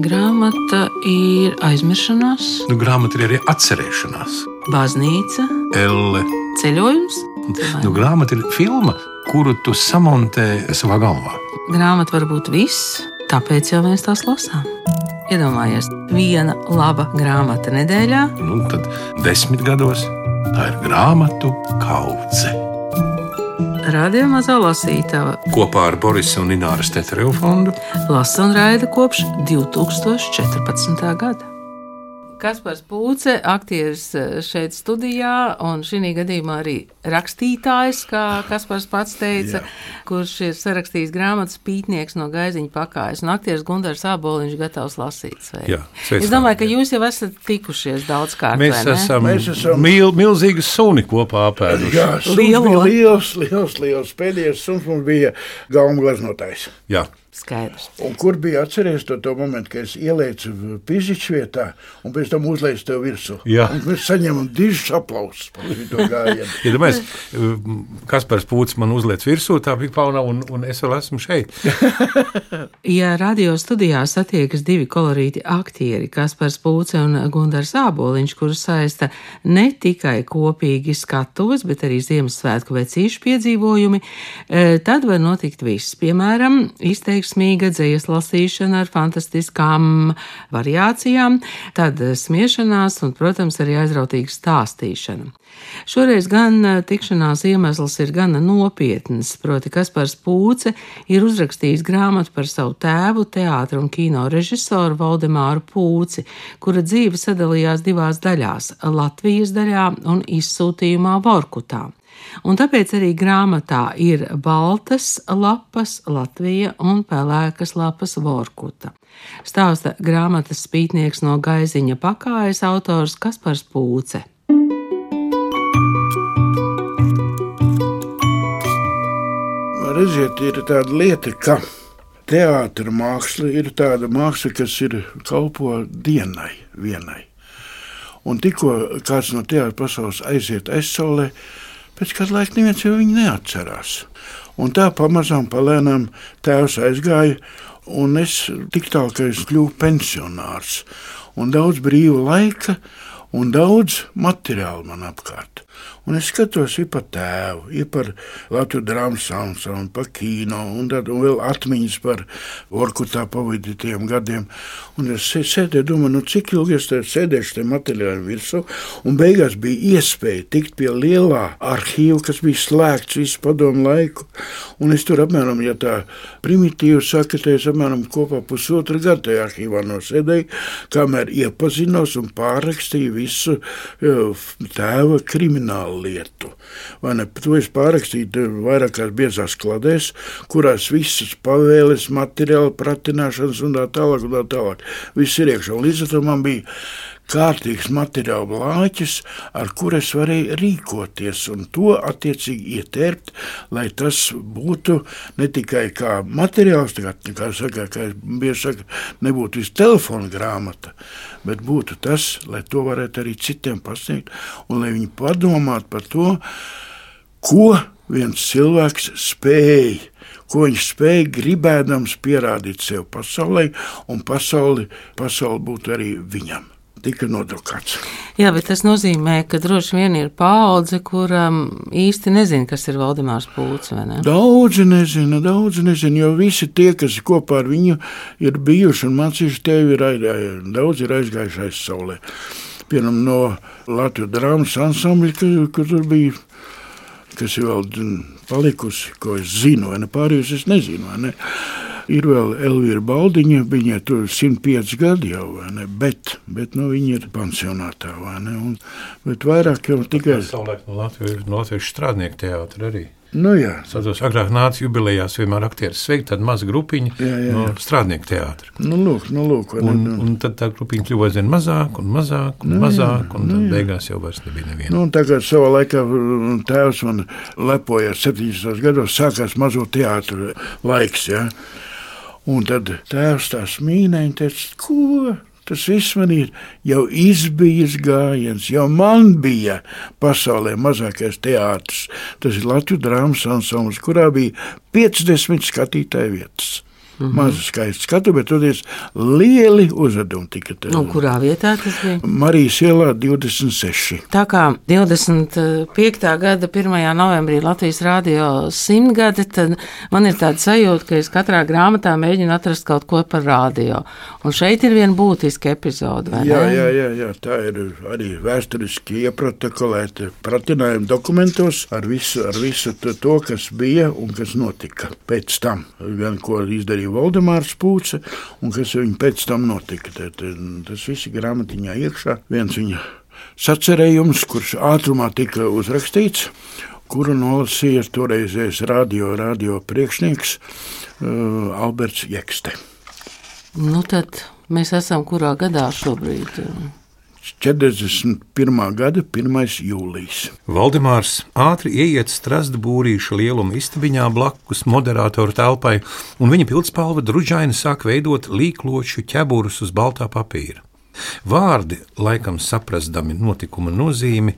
Grāmata ir aizmiršanās, Grāmata ir arī atcerēšanās. baznīca, Elle. ceļojums. Grāmata ir filma, kuru tu samontē savā galvā. Grāmata var būt viss, tāpēc jau mēs tās lasām. Iedomājies, viena laba grāmata nedēļā. Tad 10 gados tā ir grāmatu kaudze. Radio Mazā lasītava Kopā ar Borisa un Ināras Teterevu fondu lasa un raida kopš 2014. gada. Kaspars Pūce, aktieris šeit studijā, un šī gadījumā arī rakstītājs, kā Kaspars pats teica, kurš ir sarakstījis grāmatas Pītnieks no Gaiziņa pakājas, un aktieris Gundars Āboliņš gatavs lasīt. Es domāju, ka jūs jau esat tikušies daudzkārt. Mēs esam milzīgi suni kopā apēduši. Jā, liels. Pēdējais suns mums bija galma glaznotājs. Jā. Skaidrs. Un kur bija atceries to momentu, kad es ielēcu Pizičs vietā un pēc tam uzlēcu tev virsū? Jā. Un mēs saņemam dižus aplausus par to gājienu. Iedomājies, Kaspars Pūcis man uzliec virsū, tā bija pauna, un es vēl esmu šeit. Ja radio studijā satiekas divi kolorīti aktieri, Kaspars Pūce un Gundars Āboliņš, kurus saista ne tikai kopīgi skatuves, bet arī Ziemassvētku vecīšu piedzīvojumi, tad var notikt viss. Piemēram, izteiksmīga dzejas lasīšana ar fantastiskām variācijām, tad smiešanās un, protams, arī aizrautīga stāstīšana. Šoreiz gan tikšanās iemesls ir gana nopietns, proti Kaspars Pūce ir uzrakstījis grāmatu par savu tēvu, teātra un kino režisoru Valdemāru Pūci, kura dzīve sadalījās divās daļās – Latvijas daļā un izsūtījumā Vorkutā. Un tāpēc arī grāmatā ir baltas lapas Latvija un pelēkas lapas Vorkuta. Stāsta grāmatas Pītnieks no Gaiziņa pakājas autors Kaspars Pūce. Redziet, ir tāda lieta, ka teātra māksla ir tāda māksla, kas ir kalpo dienai vienai. Un tikko kāds no teātra pasaules aiziet aizsaulē, pēc kāda laika neviens jau viņu neatcerās. Un tā pamazām palēnām tēvs aizgāja, un es tik tālu, ka es kļuvu pensionārs. Un daudz brīva laika, un daudz materiālu man apkārt. Un es skatos ir par tēvu, ir par Latvijas drāmas ansambli, par kino, un vēl atmiņas par Vorkutā pavadītajiem gadiem. Un es sēdēju, domāju, cik ilgi es sēdēšu te materiālu virsū, un beigās bija iespēja tikt pie lielā arhīva, kas bija slēgts visu padomu laiku. Un es tur apmēram, ja tā primitīvi saka, te es apmēram kopā pusotru gadu tajā arhīvā nosēdēju, kamēr iepazinos un pārrakstīju visu tēva kriminālu lietu. Vai ne? To es pārrakstīju vairākās biezās kladēs, kurās visas pavēles, materiāli, pratināšanas un tā tālāk. Viss ir iekšā. Un līdz ar to man bija kārtīgs materiāla blāķis, ar kur es varēju rīkoties un to attiecīgi ietērpt, lai tas būtu ne tikai kā materiāls, kā es bieži saku, nebūtu viss telefona grāmata, bet būtu tas, lai to varētu arī citiem pasniegt un lai viņi padomātu par to, ko viens cilvēks spēj, ko viņš spēja gribēdams pierādīt sev pasaulē, un pasauli būtu arī viņam. Tika nodrukāts. Jā, bet tas nozīmē, ka droši vien ir paudze, kuram īsti nezina, kas ir Valdemārs Pūce, vai ne? Daudzi nezina, jo visi tie, kas kopā ar viņu ir bijuši un mācījuši tevi, daudzi ir aizgājuši aizsaulē. Piemēram, no Latvijas drāmas ansambļa, kur tur bija, kas ir vēl palikusi, ko es zinu, vai ne, pārējus es nezinu, vai ne. Ir vēl Elvīra Baldiņa, viņai tur 105 gadi jau, vai ne, bet viņa ir pansionātā, vai ne, bet vairāk jau tikai... Savulaik no Latvijas strādnieku teātra arī. Nu jā. Satos, agrāk nāca jubilejās vienmēr aktieris sveikt, tāda maza grupiņa no strādnieku teātra. Nu lūk. Un tad tā grupiņa kļuva aizvien mazāk, un tad beigās jau vairs nebija neviena. Nu, un tagad savā laikā tēvs man lepoja 70. gados, sākās mazo teātru laiks, ja. Un tad tēvs tā smīnēja un teica, ko? Tas viss man ir jau izbijis gājiens, jau man bija pasaulē mazākais teātrs. Tas ir Latvijas drāmas ansamblis, kurā bija 50 skatītāju vietas. Maza skaista skatu, bet toties lieli uzvedumi tika. Kurā vietā tas bija? Marijas ielā 26. Tā kā 25. gada 1. novembrī Latvijas radio 100 gadi, tad man ir tāda sajūta, ka es katrā grāmatā mēģinu atrast kaut ko par radio. Un šeit ir viena būtiska epizode, vai ne? Jā, tā ir arī vēsturiski ieprotokolēta pratinājuma dokumentos ar visu to, kas bija un kas notika pēc tam. Gan ko izdarīja Valdemārs Pūce un kas viņam pēc tam notika. Tas viss ir grāmatiņā iekšā. Viens viņa sacerējums, kurš ātrumā tika uzrakstīts, kuru nolasīja toreizējais radio priekšnieks Alberts Jekste. Tad mēs esam kurā gadā šobrīd? 41. gada 1. jūlijas. Valdemārs ātri ieiet Strasbūrīša lieluma istabiņā blakus moderātoru telpai, un viņa pildspalva druģaini sāk veidot līkloču ķeburus uz baltā papīra. Vārdi, laikam saprastami notikuma nozīmi,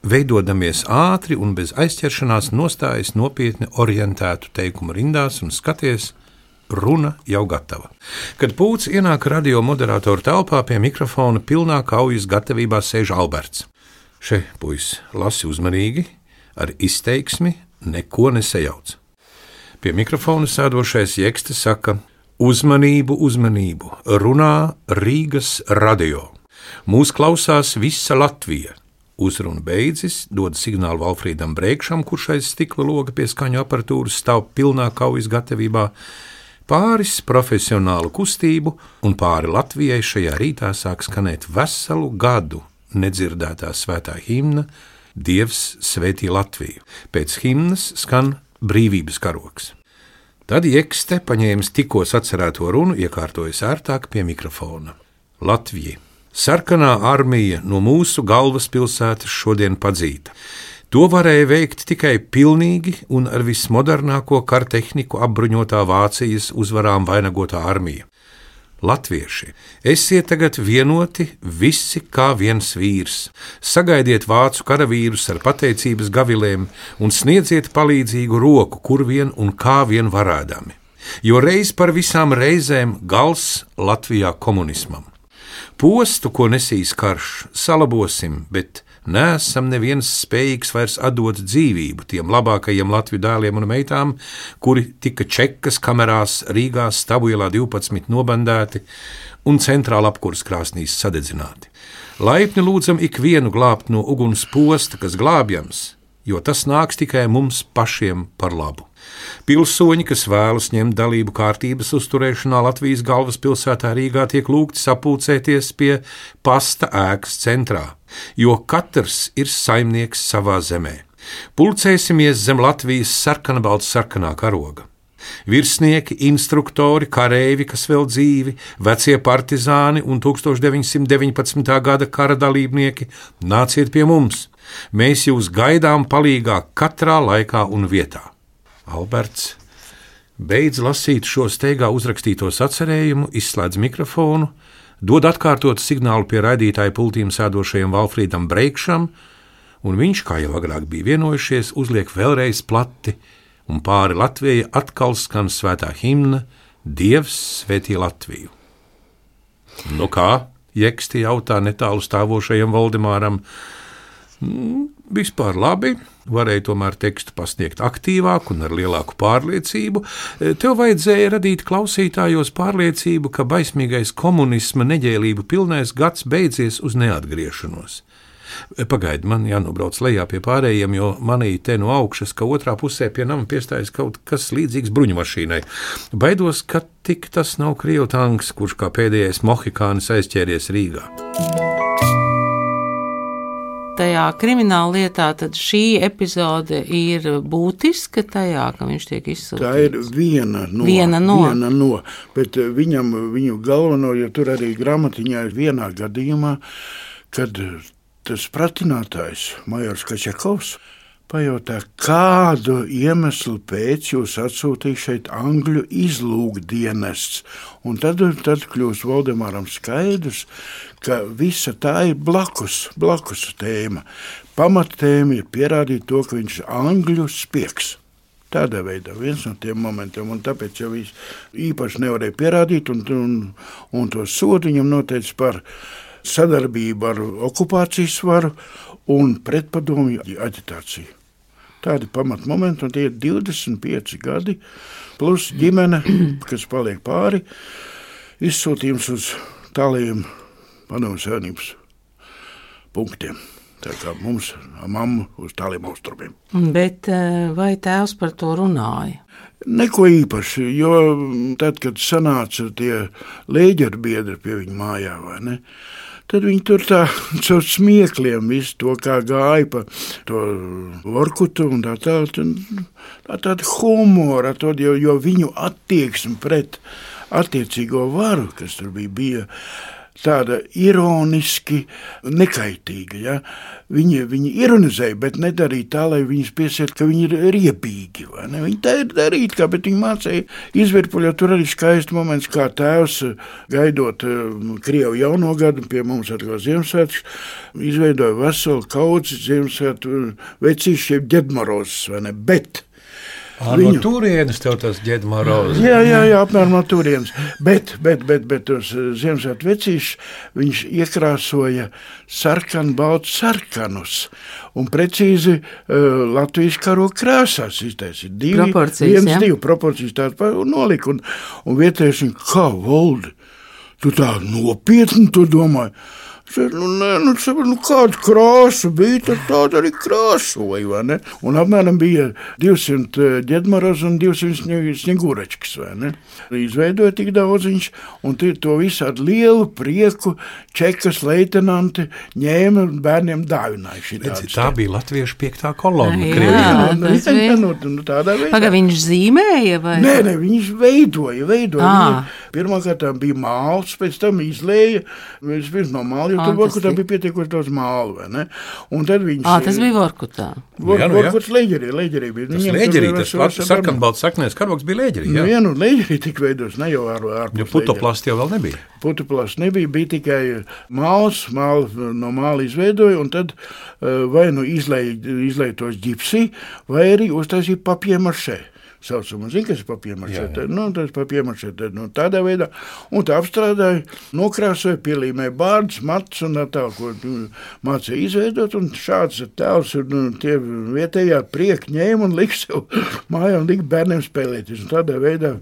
veidodamies ātri un bez aizķeršanās nostājas nopietni orientētu teikumu rindās un skaties, runa jau gatava. Kad Pūce ienāk radio moderātoru telpā, pie mikrofona pilnā kaujas gatavībā sēž Alberts. Še, puisis, lasi uzmanīgi, ar izteiksmi neko nesajauc. Pie mikrofona sēdošais Jekste saka: uzmanību, runā Rīgas radio. Mūs klausās visa Latvija. Uzruna beidzis, dod signālu Valfrīdam Breikšam, kurš aiz stikla loga pie skaņu aparatūras stāv pilnā kaujas gatavībā. Pāris profesionālu kustību un pāri Latvijai šajā rītā sāk skanēt veselu gadu nedzirdētā svētā himna Dievs svētī Latviju. Pēc himnas skan brīvības karoks. Tad Jekste, paņēmis tikko sacerēto runu, iekārtojas ērtāk pie mikrofona. Latvija, sarkanā armija no mūsu galvaspilsētas šodien padzīta. To varēja veikt tikai pilnīgi un ar vismodernāko kartehniku apbruņotā Vācijas uzvarām vainagotā armija. Latvieši, esiet tagad vienoti visi kā viens vīrs, sagaidiet vācu karavīrus ar pateicības gavilēm un sniedziet palīdzīgu roku, kur vien un kā vien varēdami, jo reiz par visām reizēm gals Latvijā komunismam. Postu, ko nesīs karš, salabosim, bet neesam neviens spējīgs vairs atdot dzīvību tiem labākajiem Latviju dēliem un meitām, kuri tika Čekas kamerās Rīgā Stabuielā 12 nobandēti un centrāla apkuras krāsnīs sadedzināti. Laipni lūdzam ikvienu glābt no uguns posta, kas glābjams, jo tas nāks tikai mums pašiem par labu. Pilsoņi, kas vēlas ņemt dalību kārtības uzturēšanā Latvijas galvaspilsētā Rīgā, tiek lūgti sapulcēties pie pasta ēkas centrā, jo katrs ir saimnieks savā zemē. Pulcēsimies zem Latvijas sarkanbalts-sarkanā karoga. Virsnieki, instruktori, kareivi, kas vēl dzīvi, vecie partizāni un 1919. gada kara dalībnieki, nāciet pie mums. Mēs jūs gaidām palīgā katrā laikā un vietā. Alberts beidz lasīt šo steigā uzrakstīto sacerējumu, izslēdz mikrofonu, dod atkārtot signālu pie raidītāja pultīm sēdošajam Valfrīdam Breikšam, un viņš, kā jau agrāk bija vienojušies, uzliek vēlreiz plati, un pāri Latvijai atkal skan svētā himna Dievs svētī Latviju. Nu kā? Jeksti jautā netālu stāvošajam Valdemāram. Vispār labi, varēja tomēr tekstu pasniegt aktīvāk un ar lielāku pārliecību. Tev vajadzēja radīt klausītājos pārliecību, ka baismīgais komunisma neģēlību pilnais gads beidzies uz neatgriešanos. Pagaidi, man jānobrauc lejā pie pārējiem, jo manī te no augšas, ka otrā pusē pie nama piestājas kaut kas līdzīgs bruņmašīnai. Baidos, ka tik tas nav krievu tanks, kurš kā pēdējais mohikānis aizķēries Rīgā. Tajā krimināla lietā tad šī epizode ir būtiska tajā, ka viņš tiek izsūtīts? Tā ir viena no, bet viņu galveno, jo tur arī grāmatiņā ir vienā gadījumā, kad tas pratinātājs, majors Kačakovs, pajautā, kādu iemeslu pēc jūs atsūtīja šeit Angļu izlūkdienests. Un tad kļūst Valdemāram skaidrs, ka visa tā ir blakus tēma. Pamattēma ir pierādīt to, ka viņš ir Angļu spiegs. Tādā veidā viens no tiem momentiem, un tāpēc jau viņš īpaši nevarēja pierādīt, un to sodu viņam noteica par sadarbību ar okupācijas varu un pretpadomju aģitāciju. Tādi pamatmomenti, un tie ir 25 gadi, plus ģimene, kas paliek pāri, izsūtījums uz tālajiem Padomju Savienības punktiem. Tā kā mums mamma uz tāliem austrumiem. Bet vai tēvs par to runāja? Neko īpaši, jo tad, kad sanāca tie lēģeru biedri pie viņa mājā, vai ne, tad viņi tur tā caur smiekliem visu to, kā gāja pa to Vorkutu un tāda humora, jo viņu attieksme pret attiecīgo varu, kas tur bija tāda ironiski nekaitīga. Ja? Viņi ironizēja, bet nedarīja tā, lai viņus piesiet, ka viņi ir riebīgi. Viņi tā ir darīt, bet viņi mācīja izvirpuļot. Tur arī skaists moments, kā tēvs gaidot Krievu jauno gadu, pie mums atkal Ziemassvētkus, izveidoja veselu kaudzi Ziemassvētku vecīšiem Ģedmarozes, vai ne? Bet no turienes tev tas Ģedmarozes. Jā, apmēram no turienes. Bet tos Ziemassvētku vecīšus viņš iekrāsoja sarkanbaltu sarkanus un precīzi Latvijas karoga krāsās iztaisīja. Divu proporcijas tādu nolika un vietējuši, kā Voldi, tu tā nopietni to domāji. Kāda krāsa bija, tad tāda arī krāsoja, vai ne? Un apmēram bija 200 Ģedmaroz un 200 Sņeguračkas, vai ne? Izveidoja tik daudz viņš, un to visādi lielu prieku čekas leitenanti ņēma bērniem dāvināja. Tā bija latviešu 5. kolona. Tādā veidā. Paga viņš zīmēja, vai? Nē, viņš veidoja. Pirmkārt bija māls, pēc tam izlēja, vispirms no māla, jo tur Vorkutā bija pietiekoši daudz mālu, vai ne? Un tad viņš... Tas bija Vorkutā. Vorkuts leģerī bija. Tas leģerī, tas sarkanbalts saknēs karogs bija leģerī, jā? Leģerī tik veidos, ne jau ārpus jo putoplasta jau vēl nebija. Putoplasta nebija, bija tikai māls, no māla izveidoja, un tad vai izlēja tos ģipsī, vai arī uztaisīja papiermašē. Saucam, kas ir papiermašē? Tas papiermašē tādā veidā. Un tā apstrādāja, nokrāsoja, pielīmēja bārdus, matus un tā, ko mācīja izveidot. Un šāds tēls tie vietējā prieki ņēma un lika sev mājā un lika bērniem spēlēties. Un tādā veidā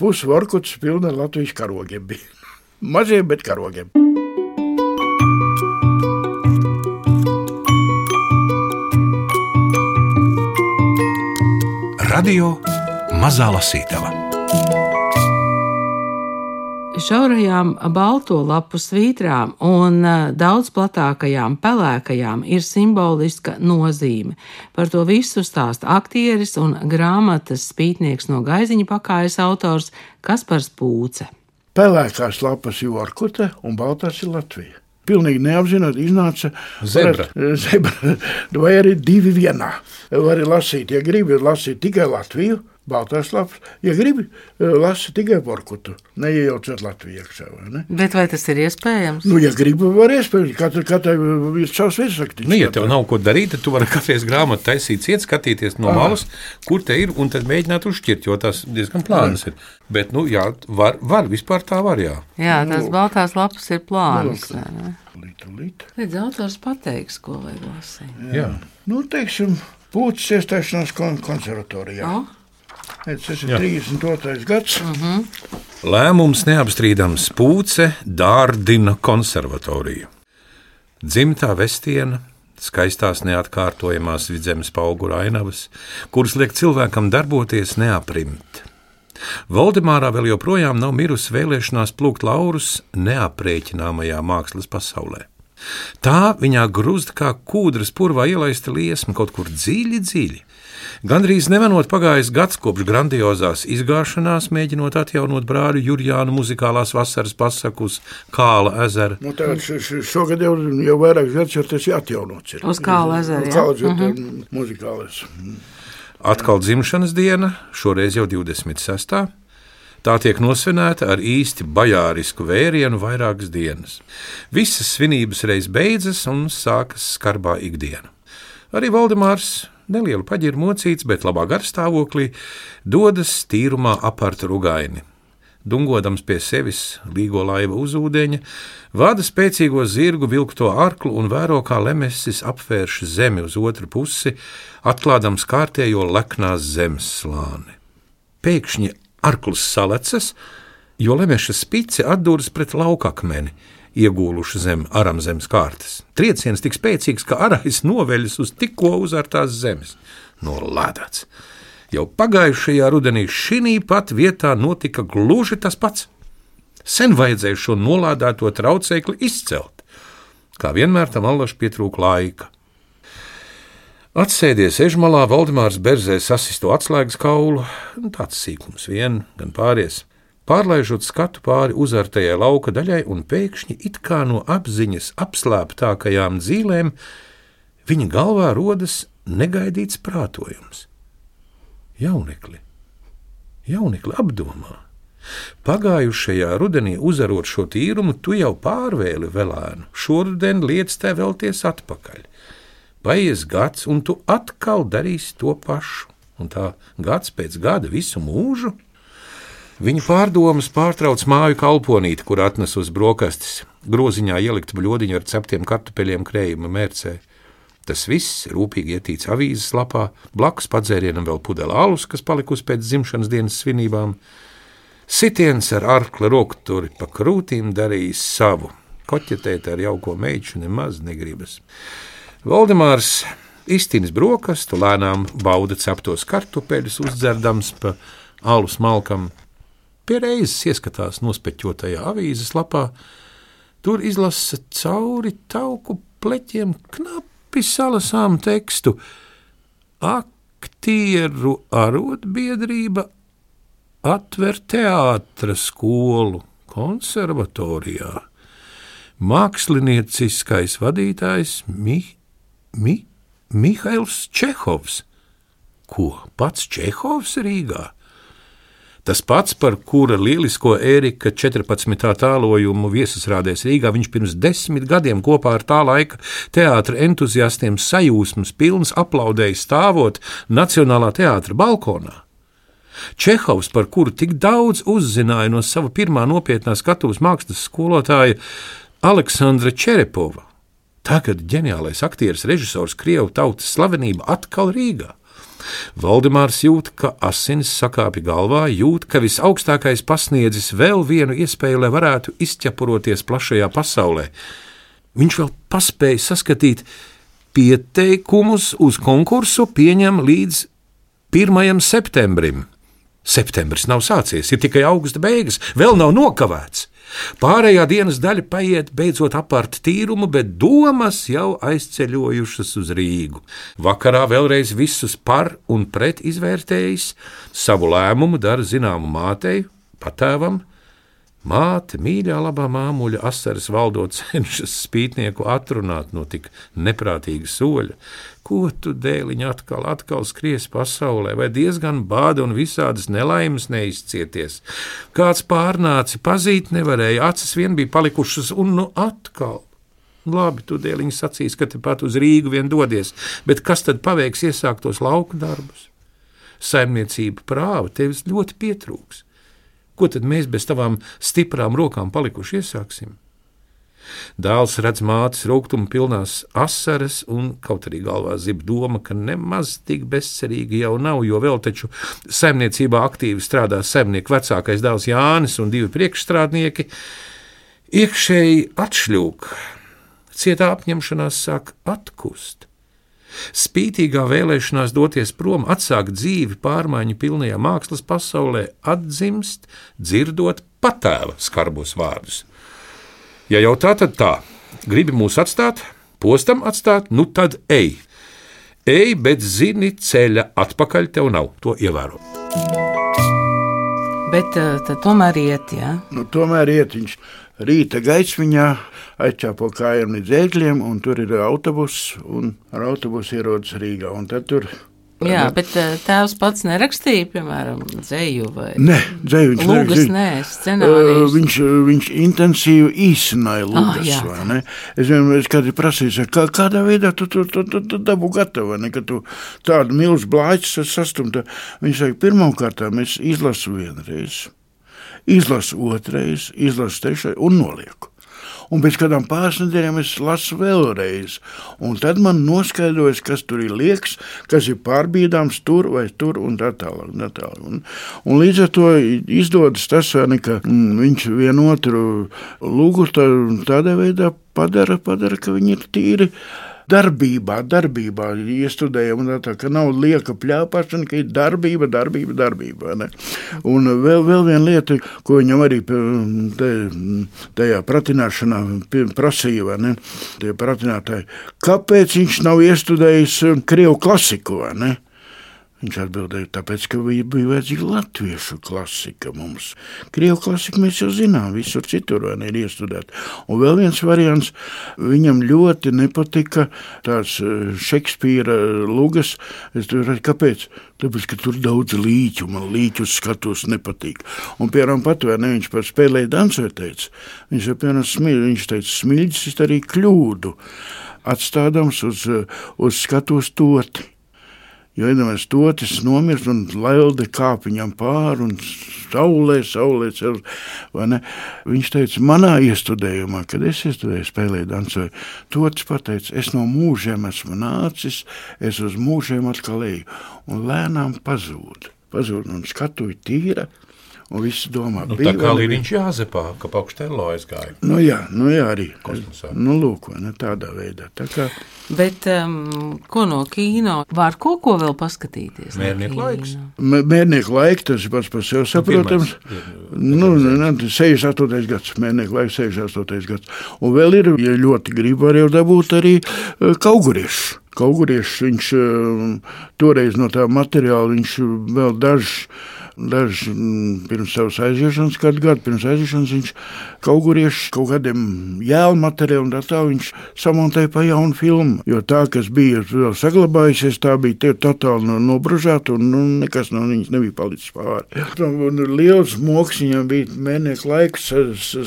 pus Vorkuts pilna Latvijas karogiem bija. Maziem, bet karogiem. Radio Mazā Lasītava. Šaurajām balto lapu svītrām un daudz platākajām pelēkajām ir simboliska nozīme. Par to visu stāsta aktieris un grāmatas Spītnieks no Gaiziņa pakājas autors Kaspars Pūce. Pelēkās lapas ir Vorkuta un baltās ir Latvija. Pilnīgi neapzināt, iznāca zebra, vai arī divi vienā. Var lasīt, ja gribi lasīt tikai Latviju, baltās lapas, ja gribi lasīt tikai Vorkutu, neiejaucot Latviju iekšā, vai ne? Bet vai tas ir iespējams? Ja gribi, var iespējams, katrai ir savs virsrakstīs. Ja tev nav ko darīt, tad tu vari kafijas grāmatu taisīt ciet, skatīties no malas, kur te ir, un tad mēģināt uzšķirt, jo tās diezgan plānas ir. Bet, var, vispār tā var, jā. Jā, tās baltās lapas ir plānas. Līdz autors pateiks, ko vajag lasīt. Jā. Teiksim, Pūces iestāšanās konservatorijā. Tas ir 32. gads. Lēmums neapstrīdams. Pūce dārdina konservatoriju. Dzimtā Vestiena, skaistās neatkārtojamās vidzemes paugura ainavas, kuras liek cilvēkam darboties neaprimt. Voldemārā vēl joprojām nav mirusi vēlēšanās plūkt laurus neaprēķināmajā mākslas pasaulē. Tā viņā grūst kā kūdras purvā ielaista liesma kaut kur dziļi. Gandrīz nevanot pagājis gads kopš grandiozās izgāšanās, mēģinot atjaunot brāļu Jurjānu muzikālās vasaras pasaku uz Kāla ezera. Šogad jau vairākas gadus jau tas atjaunots ir. Uz Kāla ezera, jā. Muzikālais. Atkal dzimšanas diena, šoreiz jau 26. Tā tiek nosvinēta ar īsti bajārisku vērienu vairākas dienas. Visas svinības reiz beidzas un sākas skarbā ikdiena. Arī Valdemārs nelielu paģiru mocīts, bet labā garstāvoklī, dodas tīrumā apart Rugaini. Dungodams pie sevis līgo laiva uz ūdeņa, vada spēcīgo zirgu vilkto arklu un vēro, kā lemesis apvērš zemi uz otru pusi, atklādams kārtējo leknās zemes slāni. Pēkšņi arkls salecas, jo lemeša spice atduras pret laukakmeni, iegūluši zem aramzemes kārtas. Trieciens tik spēcīgs, ka arais noveļas uz tikko uzartās zemes. Nolādāts. Jau pagājušajā rudenī šinī pat vietā notika gluži tas pats. Sen vajadzēja šo nolādēto traucēkli izcelt. Kā vienmēr tam allaž pietrūka laika. Atsēdies ežmalā, Valdemārs berzē sasisto atslēgas kaulu, tāds sīkums vien, gan pāries, pārlaižot skatu pāri uzartajai lauka daļai un pēkšņi it kā no apziņas apslēptākajām dzīlēm viņa galvā rodas negaidīts prātojums. Jaunekli apdomā. Pagājušajā rudenī uzarot šo tīrumu, tu jau pārvēli velēnu, šoruden lietas tev vēlties atpakaļ. Paies gads, un tu atkal darīsi to pašu, un tā gads pēc gada visu mūžu. Viņa pārdomas pārtrauc māju kalponīti, kur atnes uz brokastis, groziņā ielikt bļodiņu ar ceptiem kartupeļiem krējuma mērcē. Tas viss rūpīgi ietīts avīzes lapā, blakus padzērienam vēl pudele alus, kas palikusi pēc dzimšanas dienas svinībām. Sitiens ar arkla rokturi pa krūtīm darījis savu. Koķetēt ar jauko meiču nemaz negribas. Valdemārs iztīnis brokastu, lēnām bauda ceptos kartupeļus, uzdzerdams pa alu smalkam. Pie reizes ieskatās nospekķotajā avīzes lapā. Tur izlasa cauri tauku pleķiem knapi salasām tekstu. Aktieru arotbiedrība atver teātra skolu konservatorijā. Mākslinieciskais vadītājs Mihails Čehovs. Ko, pats Čehovs Rīgā? Tas pats, par kura lielisko Ērika 14. tālojumu viesasrādēs Rīgā, viņš pirms 10 gadiem kopā ar tā laika teātra entuziastiem sajūsmas pilns aplaudēja stāvot Nacionālā teātra balkonā. Čehovs, par kuru tik daudz uzzināja no sava pirmā nopietnā skatuves mākslas skolotāja Aleksandra Čerepova. Tagad ģeniālais aktieris, režisors, krievu tautas slavenība atkal Rīgā. Valdemārs jūt, ka asinis sakāpja galvā, jūt, ka visaugstākais pasniedzis vēl vienu iespēju, lai varētu izķepuroties plašajā pasaulē. Viņš vēl paspēja saskatīt pieteikumus uz konkursu pieņem līdz 1. septembrim. Septembris nav sācies, ir tikai augusta beigas, vēl nav nokavēts. Pārējā dienas daļa paiet beidzot apart tīrumu, bet domas jau aizceļojušas uz Rīgu. Vakarā vēlreiz visus par un pret izvērtējis, savu lēmumu dara zināmu mātei, patēvam. Māte, mīļā labā māmuļa, asaras valdot cenšas spītnieku atrunāt no tik neprātīga soļa. Ko tu, dēliņ, atkal skries pasaulē, vai diezgan bāda un visādas nelaimes neizcieties? Kāds pārnāci pazīt nevarēja, acis vien bija palikušas, un nu atkal. Labi, tu, dēliņ, sacīs, ka tepat uz Rīgu vien dodies, bet kas tad paveiks iesāktos lauku darbus? Saimniecība prāva tevis ļoti pietrūks. Ko tad mēs bez tavām stiprām rokām palikuši iesāksim? Dēls redz mātes rūgtuma pilnās asaras un kaut arī galvā zib doma, ka nemaz tik bezcerīgi jau nav, jo vēl taču saimniecībā aktīvi strādā saimnieku vecākais dēls Jānis un 2 priekšstrādnieki. Iekšēji atšļūk, cietā apņemšanās sāk atkust. Spītīgā vēlēšanās doties prom, atsākt dzīvi pārmaiņu pilnajā mākslas pasaulē, atdzimst, dzirdot patēva skarbos vārdus. Ja jau tā, tad tā. Gribi mūs atstāt, postam atstāt, nu tad ej. Ej, bet zini, ceļa atpakaļ tev nav, to ievēro. Bet tad tomēr iet, jā? Nu, tomēr iet viņš rīta gaismiņā, aizķāpo kājām līdz ēgļiem, un tur ir autobus, un ar autobusu ierodas Rīgā. Un tad tur Jā, bet tēvs pats nerakstīja, piemēram, dzeju vai dzeju viņš lūgas, scenārijus. Viņš intensīvi īsināja lūgas, vai ne? Es vienmēr kādi prasīju, kādā veidā tu dabu gatavu, ne, ka tu tādu milzu blāķis sastumta. Viņš saka, pirmkārtām es izlasu vienreiz, izlasu otrais, izlasu trešais un nolieku. Un pēc kādām pāris nedēļām es lasu vēlreiz. Un tad man noskaidrojas, kas tur ir liekas, kas ir pārbīdāms tur vai tur un tā tālāk. Un līdz ar to izdodas tas, ka viņš vienotru lūgu tādā veidā padara, ka viņi ir tīri darbībā, iestudējam, tā, ka nav lieka pļāpāšana, ka ir darbība, ne? Un vēl viena lieta, ko viņam arī tajā pratināšanā prasīja, ne? Tie pratinātāji, kāpēc viņš nav iestudējis krievu klasiku, ne? Viņš atbildēja, tāpēc, ka bija vajadzīga latviešu klasika mums. Krievu klasiku mēs jau zinām, visur citur ir iestudēt. Un vēl viens variants, viņam ļoti nepatika tās Šekspīra lugas. Es domāju, kāpēc? Tāpēc, ka tur daudz līķu, man līķus skatos nepatīk. Un, piemēram, viņš par spēlēju dansoju teica. Viņš teica, smiļģis ir arī kļūdu, atstādams uz skatos toti. Jo iedomājies, totis nomirst un lelde kāp viņam pāri un saulē cel, vai ne? Viņš teica, manā iestudējumā, kad es iestudēju, spēlēju, dansoju, totis pateica, es no mūžiem esmu nācis, es uz mūžiem atkal eju, un lēnām pazūd un skatuvi tīra. Un visi domā, tā kā Līriņš Jāzepā, ka paukštēlo aizgāja. Jā, arī. Kosmosā. Lūk, ne tādā veidā. Tā kā... Bet ko no kino? Var ko vēl paskatīties? Mērnieku laiks. Mērnieku laiks, tas ir pats par sevi saprotams. 68. gads. Mērnieku laiks, 68. gads. Un vēl ir, ja ļoti grib, var jau dabūt arī Kauguriešs. Kauguriešs, viņš toreiz no tā materiāla, viņš vēl dažs pirms savas aiziešanas, kādu gadu pirms aiziešanas, viņš Kauguriešs kaut kādiem jēlu materiālu un tā viņš samontēja pa jaunu filmu, jo tā, kas bija vēl saglabājusies, tā bija totāli nobružāta un nekas no viņas nebija palicis pāri. Un liels moks viņam bija Mērnieku laiks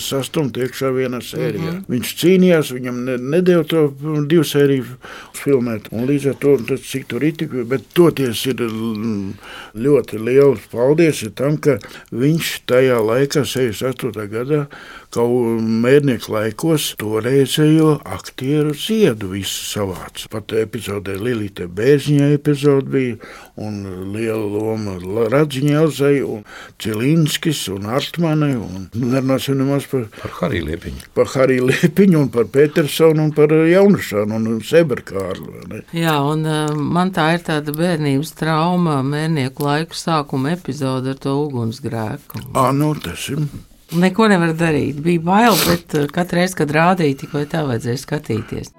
sastumt iekšā vienā sērijā. Viņš cīnījās, viņam nedēļ to 2 sēriju filmēt, un līdz ar to, cik tur ir tik, bet toties ir ļoti liels paldies tam, ka viņš tajā laikā, 68. gadā, kaut Mērnieku laikos toreizējo aktieru ziedu visu savāca. Pat epizodē Lilīte Bērziņai epizode bija, un liela loma Radziņai Elzai, un Cilinskis, un Artmane, un nerunāsim nemaz par Hariju Liepiņu. Par Hariju Liepiņu, un par Petersonu, un par Jaunušanu, un Seberkārlu. Jā, un man tā ir tāda bērnības trauma, Mērnieku laiku sākuma epizode ar to ugunsgrēku. Tas ir... Neko nevar darīt. Bija bail, bet katru reizi, kad rādīja, tik vai tā vajadzēja skatīties.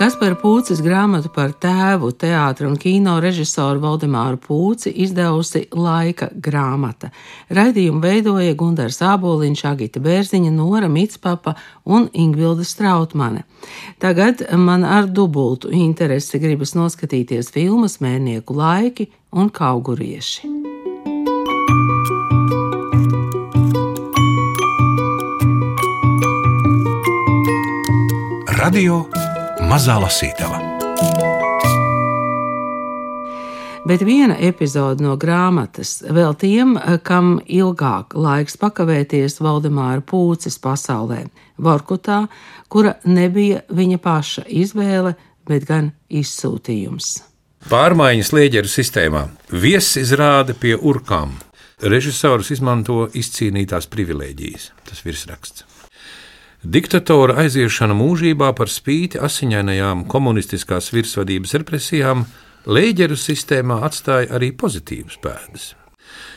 Kaspara Pūces grāmatu par tēvu, teātra un kino režisoru Valdemāru Pūci izdevusi Laika grāmata. Raidījumu veidoja Gundars Āboliņš, Agita Bērziņa, Nora Mitspapa un Ingvilda Strautmane. Tagad man ar dubultu interesi gribas noskatīties filmas Mērnieku laiki un Kaugurieši. Radio Mazā Lasītava. Bet viena epizode no grāmatas vēl tiem, kam ilgāk laiks pakavēties Valdemāra Pūces pasaulē, Vorkutā, kura nebija viņa paša izvēle, bet gan izsūtījums. Pārmaiņas Lieģeru sistēmā. Viesis izrāda pie urkām. Režisors izmanto izcīnītās privilēģijas. Tas virsraksts. Diktatora aiziešana mūžībā par spīti asiņainajām komunistiskās virsvadības represijām Lieģeru sistēmā atstāja arī pozitīvas pēdas.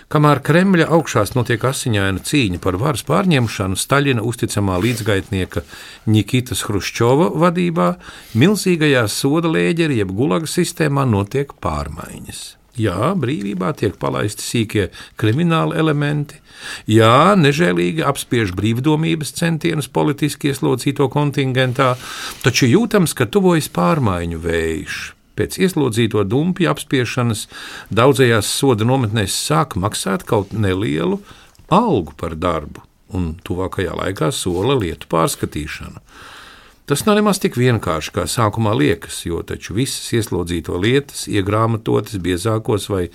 Kamēr Kremļa augšās notiek asiņaina cīņa par varas pārņemšanu Staļina uzticamā līdzgaitnieka Ņikitas Hruščova vadībā, milzīgajā soda Lieģeri jeb Gulaga sistēmā notiek pārmaiņas. Jā, brīvībā tiek palaisti sīkie krimināli elementi, jā, nežēlīgi apspiež brīvdomības centienus politiski ieslodzīto kontingentā, taču jūtams, ka tuvojas pārmaiņu vējš. Pēc ieslodzīto dumpju apspiešanas daudzajās soda nometnēs sāk maksāt kaut nelielu algu par darbu, un tuvākajā laikā sola lietu pārskatīšanu. Tas nav nemaz tik vienkārši, kā sākumā liekas, jo taču visas ieslodzīto lietas iegrāmatotas biezākos vai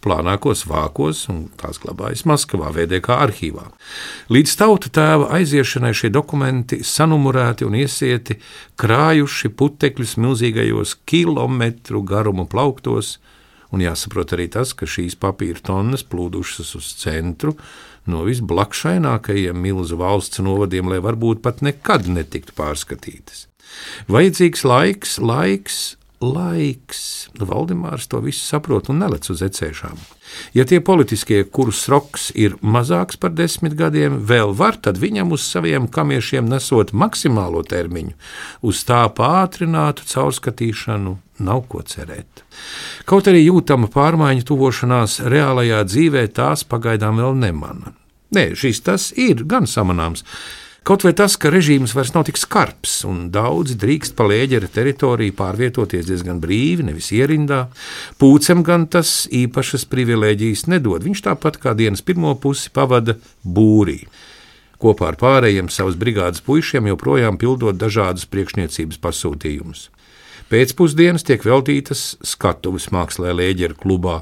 plānākos vākos, un tās glabājas Maskavā, VDK arhīvā. Līdz tauta tēva aiziešanai šie dokumenti sanumurēti un iesieti, krājuši putekļus milzīgajos kilometru garumu plauktos, un jāsaprot arī tas, ka šīs papīra tonnas plūdušas uz centru no visblakšainākajiem milzu valsts novadiem, lai varbūt pat nekad netiktu pārskatītas. Vajadzīgs laiks. Valdemārs to visu saprot un nelec uz ecēšām. Ja tie politiskie, kurus roks ir mazāks par 10 gadiem, vēl var, tad viņam uz saviem kamiešiem nesot maksimālo termiņu, uz tā pātrinātu caurskatīšanu nav ko cerēt. Kaut arī jūtama pārmaiņu tuvošanās reālajā dzīvē tās pagaidām vēl nemana. Nē, tas ir gan samanāms. Kaut vai tas, ka režīms vairs nav tik skarbs un daudzi drīkst pa Lēģera teritoriju pārvietoties diezgan brīvi, nevis ierindā, Pūcem gan tas īpašas privilēģijas nedod. Viņš tāpat kā dienas pirmo pusi pavada būrī. Kopā ar pārējiem savas brigādes puišiem joprojām pildot dažādus priekšniecības pasūtījumus. Pēcpusdienas tiek veltītas skatuves mākslē Lēģera klubā.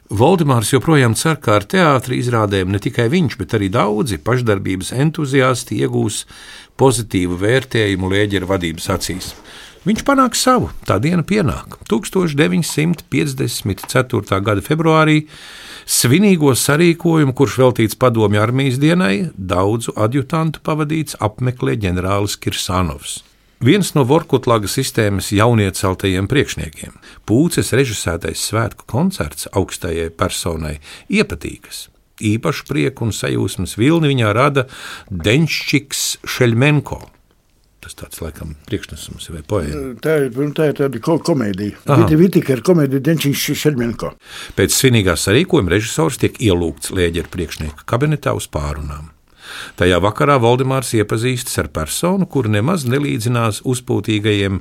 Valdemārs joprojām cer, ka ar teātra izrādēm ne tikai viņš, bet arī daudzi pašdarbības entuziasti iegūs pozitīvu vērtējumu Lēģera vadības acīs. Viņš panāk savu, tā diena pienāk. 1954. gada februārī svinīgo sarīkojumu, kurš veltīts Padomju armijas dienai, daudzu adjutantu pavadīts apmeklē ģenerālis Kirsanovs. Viens no Vorkutlaga sistēmas jaunieceltajiem priekšniekiem, Pūces režisētais svētku koncerts augstajai personai iepatīkas. Īpašu prieku un sajūsmas vilni viņā rada Denščiks Šeļmenko. Tas tāds, laikam, priekšnesums vai poēma. Tā ir tāda komēdija. Vitika ir komēdija Denščiks Šeļmenko. Pēc svinīgā sarīkojuma režisors tiek ielūgts Lēģera priekšnieka kabinetā uz pārunām. Tajā vakarā Valdemārs iepazīstas ar personu, kuru nemaz nelīdzinās uzpūtīgajiem,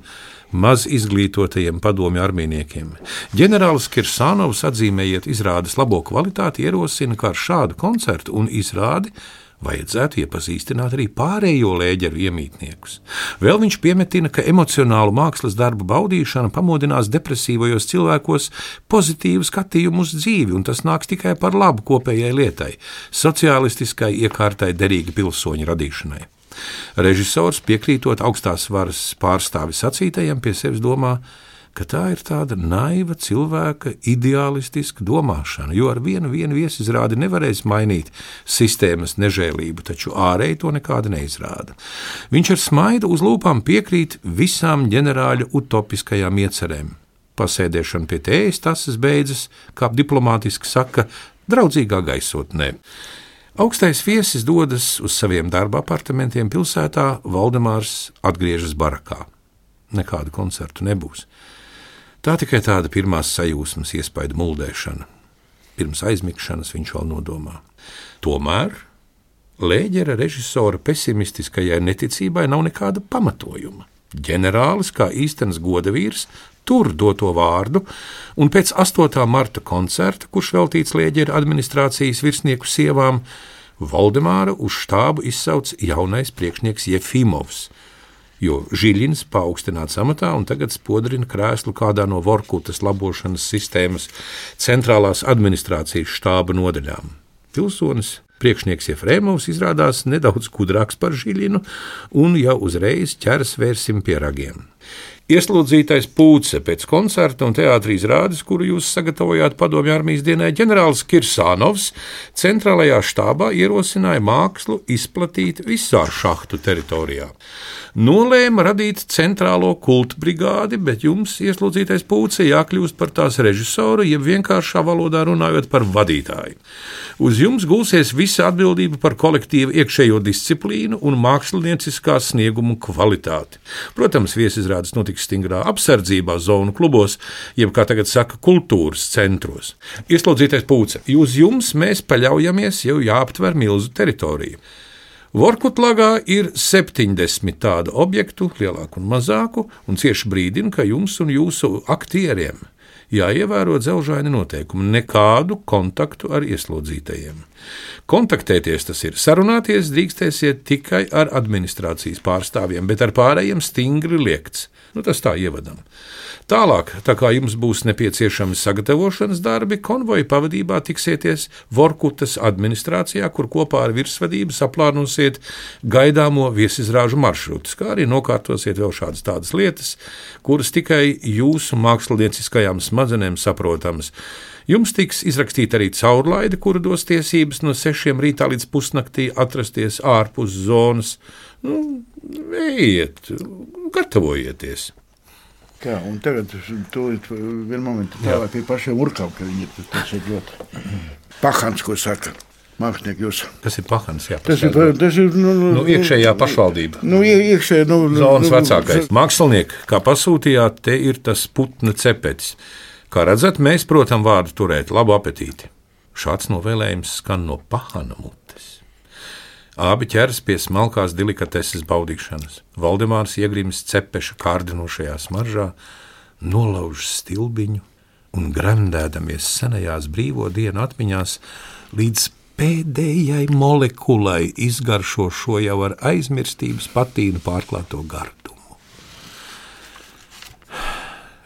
maz izglītotajiem padomju armijniekiem. Ģenerālis Kirsanovs, atzīmējiet izrādes labo kvalitāti, ierosina, ka ar šādu koncertu un izrādi vajadzētu iepazīstināt arī pārējo Lēģeru iemītniekus. Vēl viņš piemetina, ka emocionālu mākslas darbu baudīšana pamodinās depresīvajos cilvēkos pozitīvu skatījumu uz dzīvi, un tas nāks tikai par labu kopējai lietai, sociālistiskai iekārtai derīgi pilsoņu radīšanai. Režisors, piekrītot augstās varas pārstāvi sacītajiem, pie sevis domā, ka tā ir tāda naiva cilvēka ideālistiska domāšana, jo ar vienu viesizrādi nevarēs mainīt sistēmas nežēlību, taču ārēji to nekāda neizrāda. Viņš ar smaidu uz lūpām piekrīt visām ģenerāļa utopiskajām iecerēm. Pasēdēšana pie tējas tasas beidzas, kā diplomātiski saka, draudzīgā gaisotnē. Augstais viesis dodas uz saviem darba apartamentiem pilsētā, Valdemārs atgriežas barakā. Nekādu koncertu nebūs. Tā tikai tāda pirmās sajūsmas iespaidu muldēšana. Pirms aizmigšanas viņš vēl nodomā. Tomēr Lēģera režisora pesimistiskajai neticībai nav nekāda pamatojuma. Ģenerālis, kā īstenis godavīrs, tur doto vārdu, un pēc 8. marta koncerta, kurš veltīts Lēģera administrācijas virsnieku sievām, Valdemāra uz štābu izsauc jaunais priekšnieks Jefimovs, jo Žiļins paaugstināts amatā un tagad spodrina krēslu kādā no Vorkutas labošanas sistēmas centrālās administrācijas štāba nodaļām. Pilsonis priekšnieks Jefremovs izrādās nedaudz gudrāks par Žiļinu un jau uzreiz ķers vērsim pie ragiem. Ieslodzītais Pūce pēc koncerta un teātra izrādes, kuru jūs sagatavojāt Padomju armijas dienai, ģenerālis Kirsanovs centrālajā štābā ierosināja mākslu izplatīt visā šahtu teritorijā. Nolēma radīt centrālo kultu brigādi, bet jums, ieslodzītais Pūce, jākļūst par tās režisoru, jeb vienkāršā valodā runājot par vadītāju. Uz jums gulsies visa atbildība par kolektīvu iekšējo disciplīnu un mākslinieciskā sniegumu kvalitāti. Protams, viesizrādes notiks stingrā apsardzībā zonu klubos, jeb, kā tagad saka, kultūras centros. Ieslodzītais Pūce, uz jums mēs paļaujamies, jau jāaptver milzu teritoriju. Vorkutlagā ir 70 tādu objektu, lielāku un mazāku, un cieši brīdina, ka jums un jūsu aktieriem jāievēro dzelžaini noteikumi, nekādu kontaktu ar ieslodzītajiem. Kontaktēties tas ir, sarunāties drīkstēsiet tikai ar administrācijas pārstāvjiem, bet ar pārējiem stingri liegts. Tas tā ievadam. Tālāk, tā kā jums būs nepieciešami sagatavošanas darbi, konvoja pavadībā tiksieties Vorkutas administrācijā, kur kopā ar virsvadību saplānosiet gaidāmo viesizrāžu maršrutus, kā arī nokārtosiet vēl šādas tādas lietas, kuras tikai jūsu mākslinieciskajām smadzenēm saprotamas. Jums tiks izrakstīta arī caurlaide, kura dos tiesības no 6 rītā līdz pusnaktī atrasties ārpus zonas. Ejiet, gatavojieties. Tā, un tagad tūlīt vienu momentu tālāk pie pašiem urkām, ka viņi tas ir ļoti pahans, ko saka mākslinieki jūs. Kas ir pahans? Jā, tas ir iekšējā pašvaldība. Iekšējā, zonas vecākais. Mākslinieki, kā pasūtījāt, te ir tas putna cepetis. Kā redzat, mēs, protams, vārdu turēt, labu apetīti. Šāds novēlējums skan no pahana mutes. Abi ķeras pie smalkās delikateses baudīšanas. Valdemārs iegrims cepeša kārdinošajā smaržā, nolauž stilbiņu un gremdēdamies senajās brīvo dienu atmiņās līdz pēdējai molekulai izgaršo šo jau ar aizmirstības patīnu pārklāto gardumu.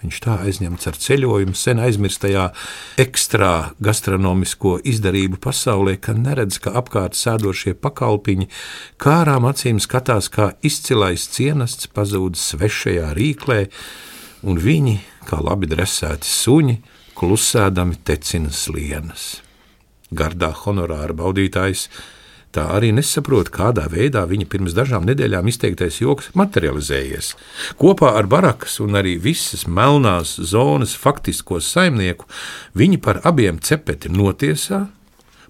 Viņš tā aizņemts ar ceļojumu sen aizmirstajā ekstrā gastronomisko izdarību pasaulē, ka neredz, ka apkārt sēdošie pakalpiņi kārām acīm skatās, kā izcilais cienasts pazūd svešajā rīklē, un viņi, kā labi dresēti suņi, klusēdami tecina slienas. Gardā honorāra baudītājs tā arī nesaprot, kādā veidā viņa pirms dažām nedēļām izteiktais joks materializējies. Kopā ar barakas un arī visas melnās zonas faktisko saimnieku viņi par abiem cepeti notiesā,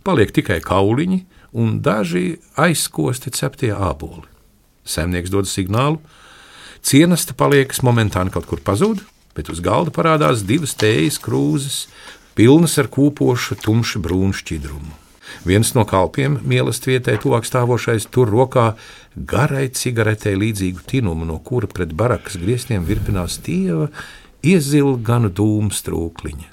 paliek tikai kauliņi un daži aizkosti ceptie āboli. Saimnieks dod signālu, cienasta paliekas momentāni kaut kur pazūd, bet uz galda parādās 2 tējas krūzes, pilnas ar kūpošu tumši brūnu šķidrumu. Viens no kalpiem mīlestvietai tuvāk stāvošais tur rokā garai cigaretei līdzīgu tinumu, no kura pret barakas griestiem virpinās tieva iezilganu dūmu strūkliņa.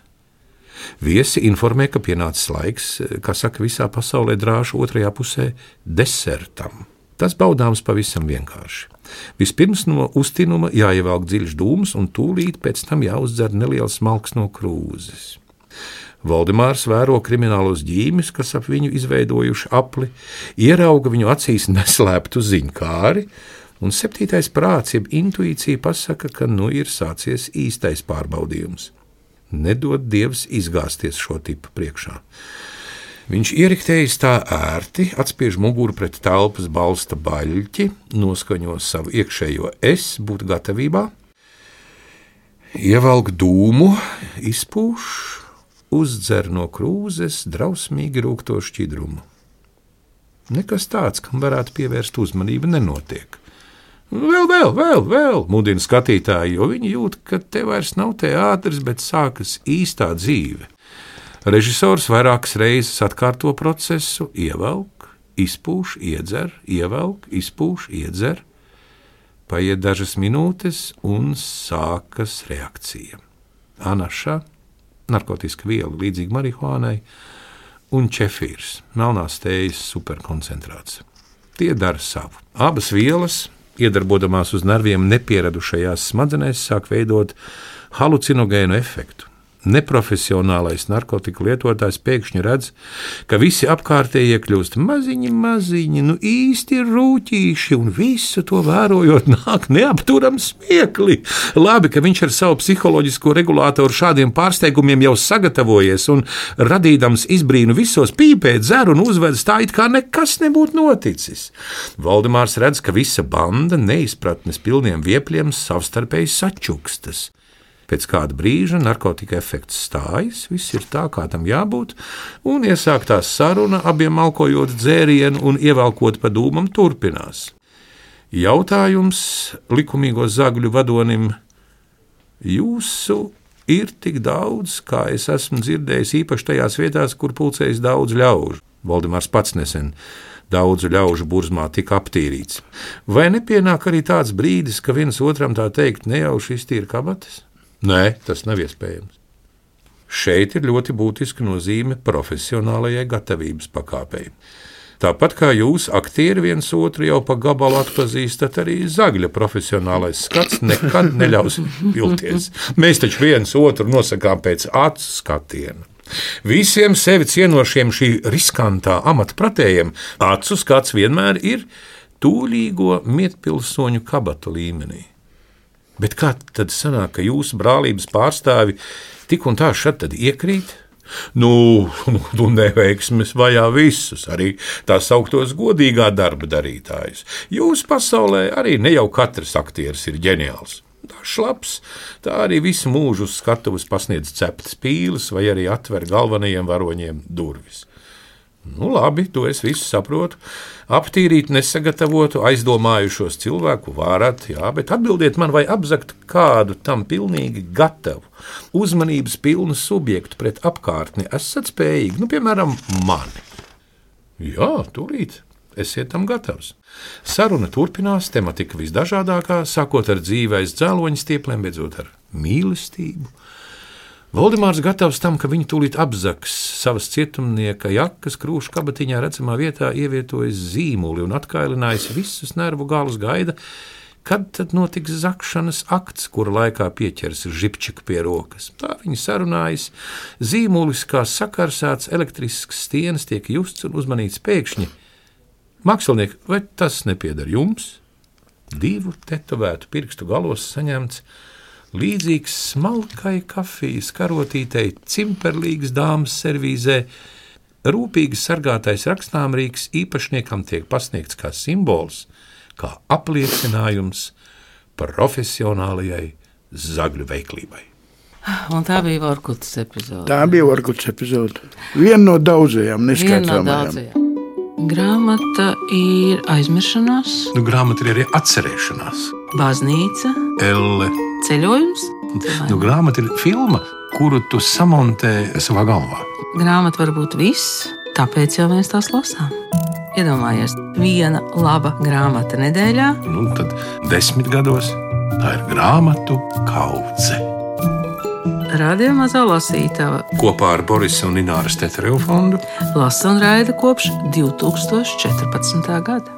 Viesi informē, ka pienācis laiks, kā saka visā pasaulē drāšu otrajā pusē, desertam. Tas baudāms pavisam vienkārši. Vispirms no uztinuma jāievelk dziļš dūms un tūlīt pēc tam jāuzdzer neliels smalks no krūzes. Valdemārs vēro kriminālos ģīmis, kas ap viņu izveidojuši apli, ierauga viņu acīs neslēptu ziņkāri, un 7. prāts, jeb intuīcija pasaka, ka ir sācies īstais pārbaudījums. Nedod Dievs izgāzties šo tipu priekšā. Viņš ieriktējas tā ērti, atspiež muguru pret telpas balsta baļķi, noskaņo savu iekšējo es, būt gatavībā, ievelk dūmu, izpūš, uzdzer no krūzes drausmīgi rūkto šķidrumu. Nekas tāds, kam varētu pievērst uzmanību, nenotiek. Vēl, mudina skatītāji, jo viņi jūt, ka te vairs nav teātris, bet sākas īstā dzīve. Režisors vairākas reizes atkārto procesu, ievelk, izpūš, iedzer, ievelk, izpūš, iedzer. Paiet dažas minūtes un sākas reakcija. Anaša, narkotiska viela līdzīga marihuānai, un čefīrs, melnās tējas superkoncentrāts. Tie dara savu. Abas vielas, iedarbodamās uz nerviem nepieradušajās smadzenēs, sāk veidot halucinogēnu efektu. Neprofesionālais narkotiku lietotājs pēkšņi redz, ka visi apkārtējie kļūst maziņi, īsti rūķīši, un visu to vērojot nāk neapturams smiekli. Labi, ka viņš ar savu psiholoģisko regulātoru šādiem pārsteigumiem jau sagatavojies un radīdams izbrīnu visos pīpē, dzer un uzvedas tā, it kā nekas nebūtu noticis. Valdemārs redz, ka visa banda neizpratnes pilniem viepļiem savstarpēji sačukstas. Pēc kāda brīža narkotika efekts stājas, viss ir tā, kā tam jābūt, un iesāktās saruna, abiem malkojot dzērienu un ievelkot pa dūmam, turpinās. Jautājums likumīgo zagļu vadonim: jūsu ir tik daudz, kā es esmu dzirdējis, īpaši tajās vietās, kur pulcējas daudz ļaužu. Valdemārs pats nesen daudzu ļaužu burzmā tika aptīrīts. Vai nepienāk arī tāds brīdis, ka viens otram tā teikt nejauši iztīra kabatas? Nē, tas nav iespējams. Šeit ir ļoti būtiska nozīme profesionālajai gatavības pakāpei. Tāpat kā jūs, aktieri, viens otru jau pa gabalu atpazīstat, arī zagļa profesionālais skats nekad neļaus vilties. Mēs taču viens otru nosakām pēc acu skatiena. Visiem sevi cienošiem šī riskantā amata pratējiem acu skats vienmēr ir tūlīgo mietpilsoņu kabatu līmenī. Bet kā tad sanāk, ka jūsu brālības pārstāvi tik un tā šad tad iekrīt? Nu, neveiksmes vajā visus, arī tā sauktos godīgā darba darītājus. Jūsu pasaulē arī ne jau katrs aktieris ir ģeniāls. Tā šlaps, tā arī visu mūžu uz skatuves pasniedz ceptas pīles vai arī atver galvenajiem varoņiem durvis. Nu, labi, to es visu saprotu. Aptīrīt nesagatavotu, aizdomājušos cilvēku varat, jā, bet atbildiet man, vai apzagt kādu tam pilnīgi gatavu, uzmanības pilnu subjektu pret apkārtni esat spējīgi, nu, piemēram, mani. Jā, tūlīt, esiet tam gatavs. Saruna turpinās, tematika visdažādākā, sākot ar dzīves dzēloņu stiepliem, beidzot ar mīlestību. Voldemārs gatavs tam, ka viņu tūlīt apzags savas cietumnieka jakas krūšu kabatiņā redzamā vietā ievietojas zīmuli un atkailinājis visus nervu galus gaida, kad tad notiks zakšanas akts, kura laikā pieķers žipčiku pie rokas. Tā viņi sarunājas, zīmulis kā sakarsēts elektrisks stienas tiek justs un uzmanīts pēkšņi. Mākslinieki, vai tas nepieder jums? 2 tetovētu pirkstu galos saņemts līdzīgs smalkai kafijas karotītei, cimperlīgas dāmas servīzē, rūpīgi sargātais rakstāmrīks īpašniekam tiek pasniegts kā simbols, kā apliecinājums profesionālajai zagļu veiklībai. Un tā bija Vorkutas epizode. Tā bija Vorkutas epizode. Viena no daudzajām neskaitāmajām. Grāmata ir aizmiršanās. Nu, grāmata ir arī atcerēšanās. Baznīca. Elle. Ceļojums. Nu, grāmata ir filma, kuru tu samontē savā galvā. Grāmata var būt viss, tāpēc jau mēs tās lasām. Iedomājies, viena laba grāmata nedēļā. Nu, tad 10 gados tā ir grāmatu kaudze. Radio Mazā lasītava Kopā ar Borisa un Ināras Tetereva fondu lasa un raida kopš 2014. gada.